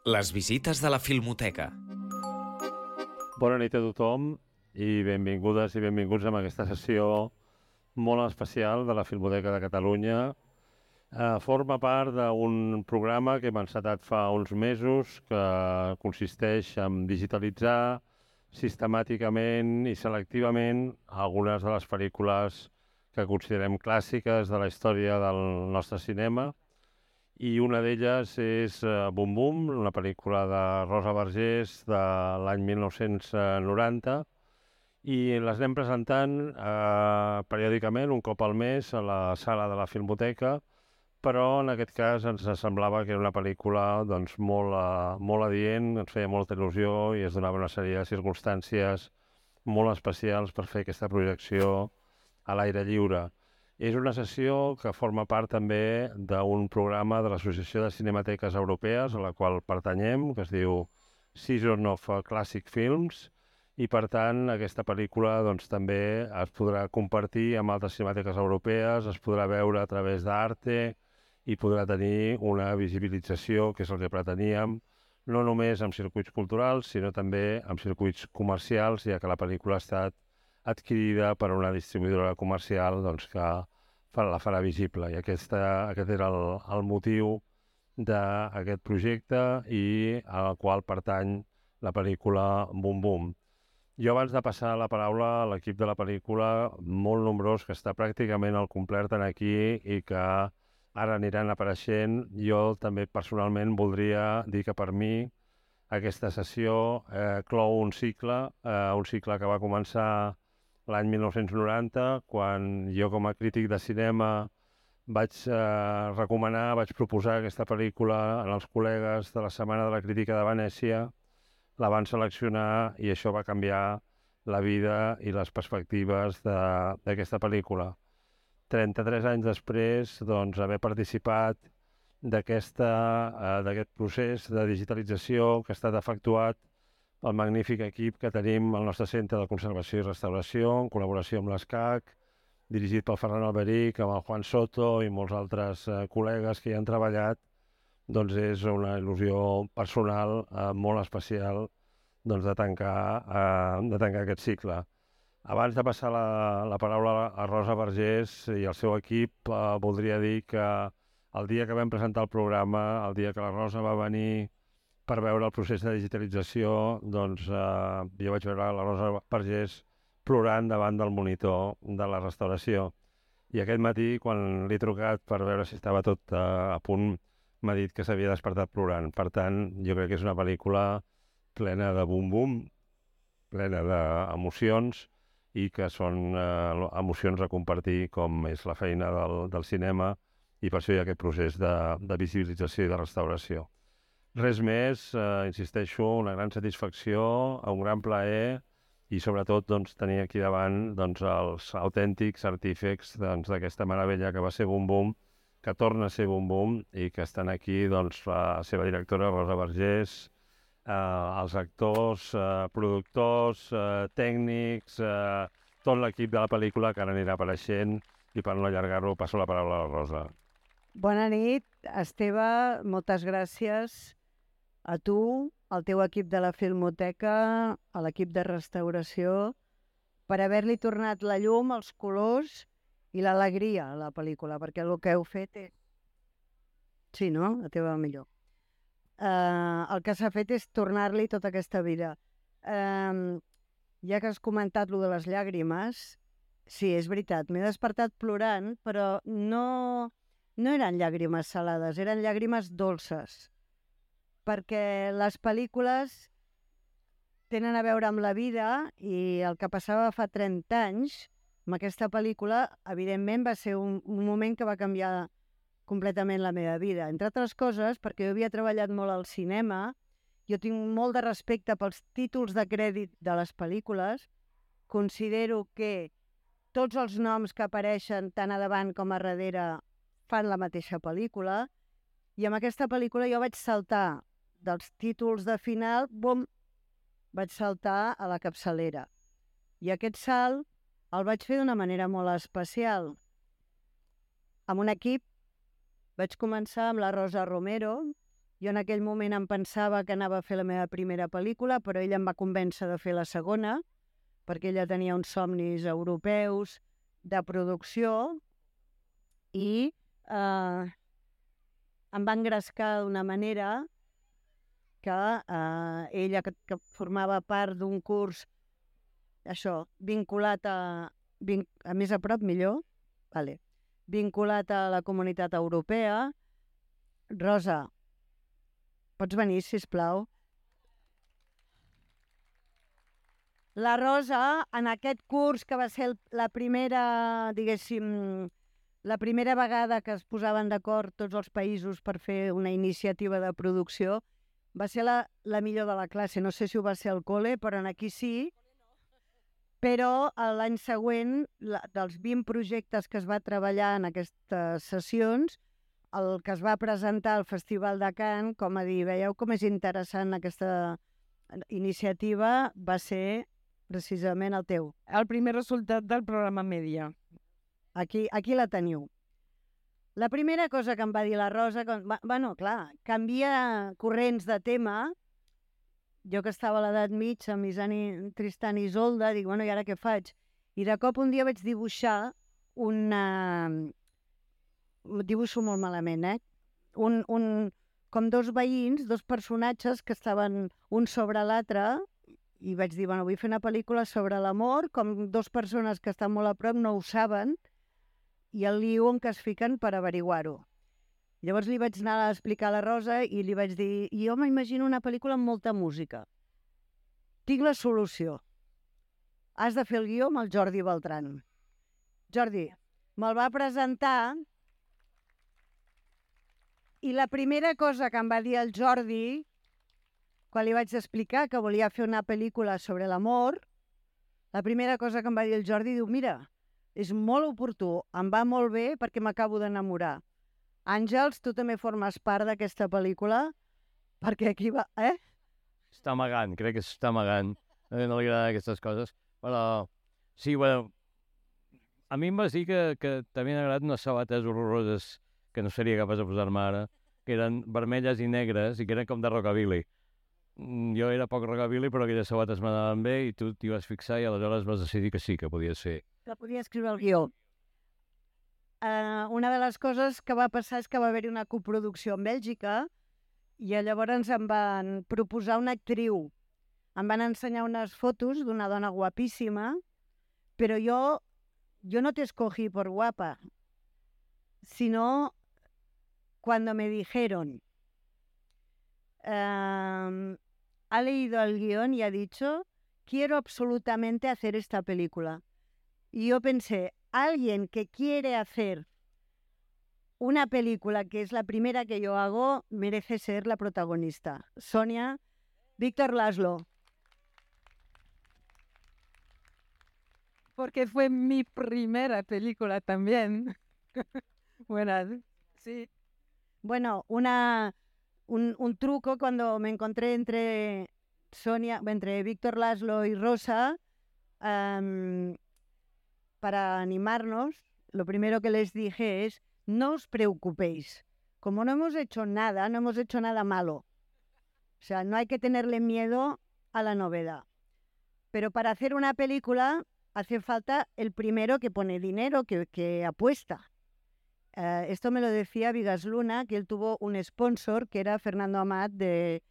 Les visites de la Filmoteca. Bona nit a tothom i benvingudes i benvinguts a aquesta sessió molt especial de la Filmoteca de Catalunya. Forma part d'un programa que hem encetat fa uns mesos que consisteix en digitalitzar sistemàticament i selectivament algunes de les pel·lícules que considerem clàssiques de la història del nostre cinema. I una d'elles és Bum Bum, una pel·lícula de Rosa Vergés de l'any 1990, i les anem presentant periòdicament, un cop al mes, a la sala de la Filmoteca, però en aquest cas ens semblava que era una pel·lícula doncs, molt adient, ens feia molta il·lusió i es donava una sèrie de circumstàncies molt especials per fer aquesta projecció a l'aire lliure. És una sessió que forma part també d'un programa de l'Associació de Cinemateques Europees, a la qual pertanyem, que es diu Season of Classic Films, i per tant aquesta pel·lícula doncs, també es podrà compartir amb altres cinemateques europees, es podrà veure a través d'Arte i podrà tenir una visibilització, que és el que preteníem, no només en circuits culturals, sinó també en circuits comercials, ja que la pel·lícula ha estat adquirida per una distribuïdora comercial doncs, que la farà visible. I aquest era el motiu d'aquest projecte i al qual pertany la pel·lícula Bum Bum. Jo, abans de passar la paraula a l'equip de la pel·lícula, molt nombrós, que està pràcticament al complet aquí i que ara aniran apareixent, jo també personalment voldria dir que per mi aquesta sessió clou un cicle que va començar l'any 1990, quan jo com a crític de cinema vaig recomanar, vaig proposar aquesta pel·lícula als col·legues de la Setmana de la Crítica de Venècia, la van seleccionar i això va canviar la vida i les perspectives d'aquesta pel·lícula. 33 anys després, doncs, haver participat d'aquest procés de digitalització que ha estat efectuat pel magnífic equip que tenim al nostre Centre de Conservació i Restauració, en col·laboració amb l'ESCAC, dirigit pel Ferran Alberic, amb el Juan Soto i molts altres col·legues que hi han treballat, doncs és una il·lusió personal molt especial doncs, de tancar aquest cicle. Abans de passar la paraula a Rosa Vergés i al seu equip, voldria dir que el dia que vam presentar el programa, el dia que la Rosa va venir per veure el procés de digitalització, doncs jo vaig veure la Rosa Vergés plorant davant del monitor de la restauració. I aquest matí, quan l'he trucat per veure si estava tot a punt, m'ha dit que s'havia despertat plorant. Per tant, jo crec que és una pel·lícula plena de bum-bum, plena d'emocions, i que són emocions a compartir, com és la feina del cinema, i per això hi ha aquest procés de visibilització i de restauració. Res més, insisteixo, una gran satisfacció, un gran plaer, i sobretot doncs, tenir aquí davant doncs, els autèntics artífecs d'aquesta meravella que va ser Bum Bum, que torna a ser Bum Bum, i que estan aquí doncs, la seva directora, Rosa Vergés, els actors, productors, tècnics, tot l'equip de la pel·lícula que ara anirà apareixent, i per no allargar-ho passo la paraula a la Rosa. Bona nit, Esteve, moltes gràcies a tu, al teu equip de la Filmoteca, a l'equip de restauració, per haver-li tornat la llum, els colors i l'alegria a la pel·lícula, perquè el que heu fet és... Sí, no? La teva millor. El que s'ha fet és tornar-li tota aquesta vida. Ja que has comentat lo de les llàgrimes, sí, és veritat, m'he despertat plorant, però no eren llàgrimes salades, eren llàgrimes dolces, perquè les pel·lícules tenen a veure amb la vida, i el que passava fa 30 anys, amb aquesta pel·lícula, evidentment va ser un moment que va canviar completament la meva vida. Entre altres coses, perquè jo havia treballat molt al cinema, jo tinc molt de respecte pels títols de crèdit de les pel·lícules, considero que tots els noms que apareixen tant a davant com a darrere fan la mateixa pel·lícula, i amb aquesta pel·lícula jo vaig saltar dels títols de final, bum, vaig saltar a la capçalera. I aquest salt el vaig fer d'una manera molt especial, amb un equip Vaig començar amb la Rosa Romero. Jo en aquell moment em pensava que anava a fer la meva primera pel·lícula, però ella em va convèncer de fer la segona, perquè ella tenia uns somnis europeus de producció i em va engrescar d'una manera que ella, que formava part d'un curs, això, vinculat a més a prop, millor, vale, vinculat a la Comunitat Europea. Rosa, pots venir, sisplau? La Rosa, en aquest curs, que va ser la primera, diguéssim, la primera vegada que es posaven d'acord tots els països per fer una iniciativa de producció, va ser la millor de la classe. No sé si ho va ser al col·le, però aquí sí. Però l'any següent, dels 20 projectes que es va treballar en aquestes sessions, el que es va presentar al Festival de Cannes, com a dir, veieu com és interessant aquesta iniciativa, va ser precisament el teu. El primer resultat del programa Media. Aquí la teniu. La primera cosa que em va dir la Rosa, bueno, clar, canvia corrents de tema. Jo que estava a l'edat mitja, amb Tristan i Isolda, dic, bueno, i ara què faig? I de cop un dia vaig dibuixar dibuixo molt malament, com dos veïns, dos personatges que estaven un sobre l'altre, i vaig dir, bueno, vull fer una pel·lícula sobre l'amor, com dos persones que estan molt a prop no ho saben, i el lío en què es fiquen per averiguar-ho. Llavors li vaig anar a explicar a la Rosa i li vaig dir, jo m'imagino una pel·lícula amb molta música. Tinc la solució. Has de fer el guió amb el Jordi Beltran. Jordi, me'l va presentar i la primera cosa que em va dir el Jordi, quan li vaig explicar que volia fer una pel·lícula sobre l'amor, la primera cosa que em va dir el Jordi, diu, mira, és molt oportú, em va molt bé perquè m'acabo d'enamorar. Àngels, tu també formes part d'aquesta pel·lícula, perquè aquí va... Està amagant, crec que s'està amagant. No li agraden aquestes coses, però... Sí, bueno, a mi em vas dir que t'havien agradat unes sabates horroroses que no seria capaç de posar-me ara, que eren vermelles i negres i que eren com de rockabilly. Jo era poc rockabilly, però aquelles sabates m'anaven bé i tu t'hi vas fixar i aleshores vas decidir que sí, que podia ser. Que podia escriure el guió. Una de les coses que va passar és que va haver-hi una coproducció en Bèlgica i llavors em van proposar una actriu. Em van ensenyar unes fotos d'una dona guapíssima, però yo no te escogí por guapa, sino cuando me dijeron, ha leído el guión y ha dicho, quiero absolutamente hacer esta película. Y yo pensé, alguien que quiere hacer una película que es la primera que yo hago merece ser la protagonista. Sonia, Víctor Laszlo. Porque fue mi primera película también. Bueno, sí. Bueno, un truco cuando me encontré entre Víctor Laszlo y Rosa, para animarnos, lo primero que les dije es, no os preocupéis, como no hemos hecho nada malo. O sea, no hay que tenerle miedo a la novedad. Pero para hacer una película hace falta el primero que pone dinero, que apuesta. Esto me lo decía Vigas Luna, que él tuvo un sponsor que era Fernando Amat de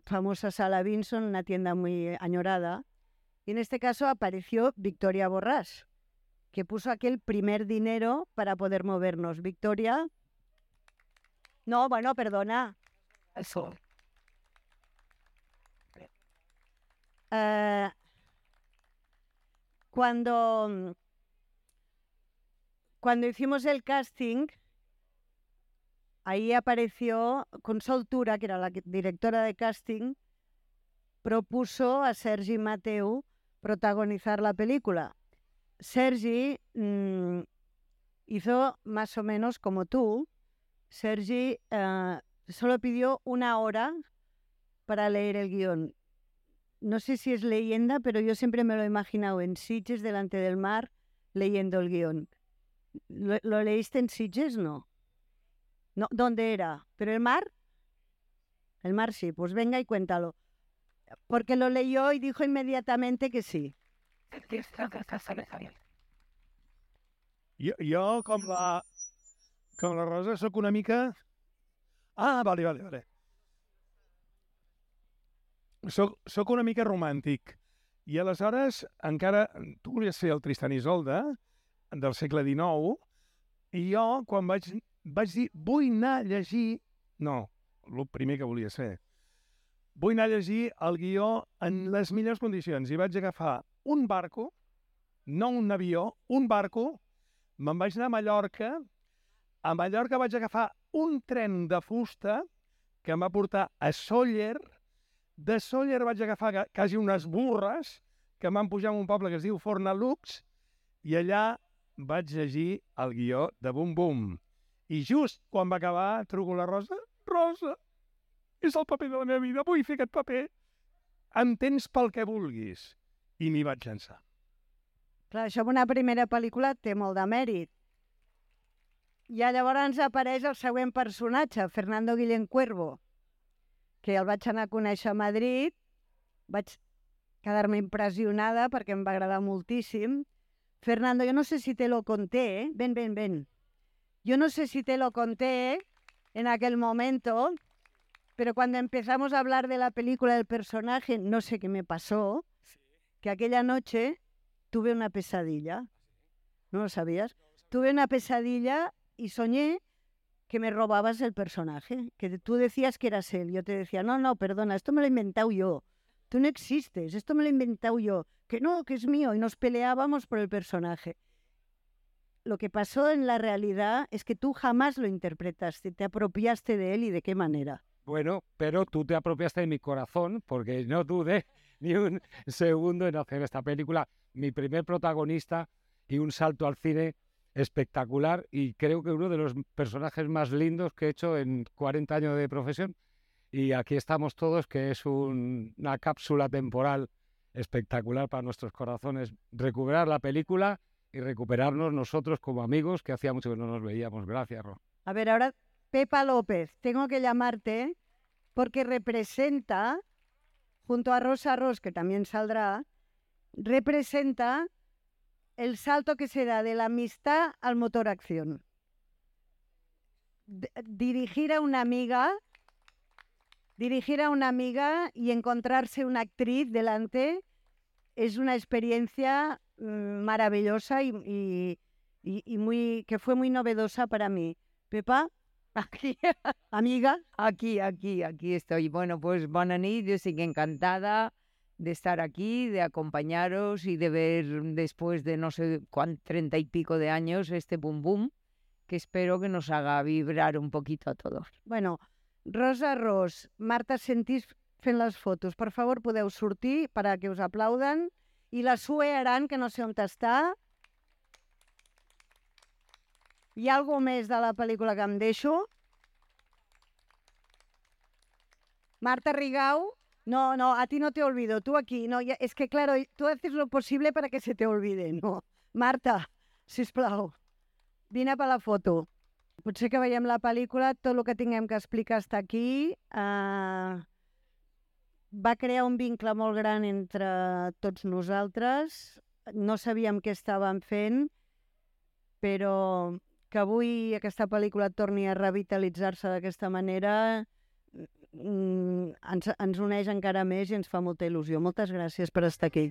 famosa Sala Vinson, una tienda muy añorada. Y en este caso apareció Victoria Borràs, que puso aquel primer dinero para poder movernos. Victoria. No, bueno, perdona. Eso. Cuando hicimos el casting, ahí apareció Consol Tura, que era la directora de casting, propuso a Sergi Mateu protagonizar la película. Sergi hizo más o menos como tú. Sergi solo pidió 1 hora para leer el guión. No sé si es leyenda, pero yo siempre me lo he imaginado en Sitges, delante del mar, leyendo el guión. ¿Lo leíste en Sitges? No. No, ¿dónde era? ¿Pero el mar? El mar sí, pues venga y cuéntalo. Porque lo leyó y dijo inmediatamente que sí. Jo com la Rosa, sóc una mica... Ah, vale. Soc una mica romàntic. I aleshores, encara... Tu volies fer el Tristan i Isolde, del segle XIX, i jo, quan vaig dir, vull anar a llegir... No, el primer que volia ser. Vull anar a llegir el guió en les millors condicions. I vaig agafar un barco, no un avió, un barco, me'n vaig anar a Mallorca. A Mallorca vaig agafar un tren de fusta que em va portar a Sóller. De Sóller vaig agafar quasi unes burres que em van pujar a un poble que es diu Fornalux i allà vaig llegir el guió de Bum Bum. I just quan va acabar truco a la Rosa. Rosa, és el paper de la meva vida, vull fer aquest paper. Em tens pel que vulguis. I m'hi vaig llançar. Clar, això en una primera pel·lícula té molt de mèrit. I llavors apareix el següent personatge, Fernando Guillén Cuervo, que el vaig anar a conèixer a Madrid, vaig quedar-me impressionada perquè em va agradar moltíssim. Fernando, yo no sé si te lo conté, ven. Yo no sé si te lo conté en aquel momento, pero cuando empezamos a hablar de la película del personaje, no sé qué me pasó, que aquella noche tuve una pesadilla. ¿No lo sabías? Tuve una pesadilla y soñé que me robabas el personaje, que tú decías que eras él. Yo te decía, no, perdona, esto me lo he inventado yo. Tú no existes, esto me lo he inventado yo. Que no, que es mío. Y nos peleábamos por el personaje. Lo que pasó en la realidad es que tú jamás lo interpretaste, te apropiaste de él y de qué manera. Bueno, pero tú te apropiaste de mi corazón porque no dudé ni un segundo en hacer esta película. Mi primer protagonista y un salto al cine espectacular y creo que uno de los personajes más lindos que he hecho en 40 años de profesión. Y aquí estamos todos, que es una cápsula temporal espectacular para nuestros corazones. Recuperar la película y recuperarnos nosotros como amigos, que hacía mucho que no nos veíamos. Gracias, Ro. A ver, ahora, Pepa López, tengo que llamarte porque representa, junto a Rosa Ros, que también saldrá, representa el salto que se da de la amistad al motor acción. Dirigir a una amiga y encontrarse una actriz delante es una experiencia maravillosa y que fue muy novedosa para mí. Pepa, Aquí, amiga. aquí estoy. Bueno, pues bona nit, yo estoy encantada de estar aquí, de acompañaros y de ver después de no sé 30 y pico de años este Bum Bum, que espero que nos haga vibrar un poquito a todos. Bueno, Rosa Ros, Marta Sentís fent les fotos. Per favor, podeu sortir para que us aplauden. I la Sue Aran, que no sé on està. Hi ha algú més de la pel·lícula que em deixo? Marta Rigau. No, a ti no te olvido, tú aquí. No, es que claro, tú haces lo posible para que se te olvide, no. Marta, sisplau, vine per la foto. Potser que veiem la pel·lícula, tot el que tinguem que explicar està aquí. Va crear un vincle molt gran entre tots nosaltres. No sabíem què estàvem fent, però que avui aquesta pel·lícula torni a revitalitzar-se d'aquesta manera ens uneix encara més i ens fa molta il·lusió. Moltes gràcies per estar aquí.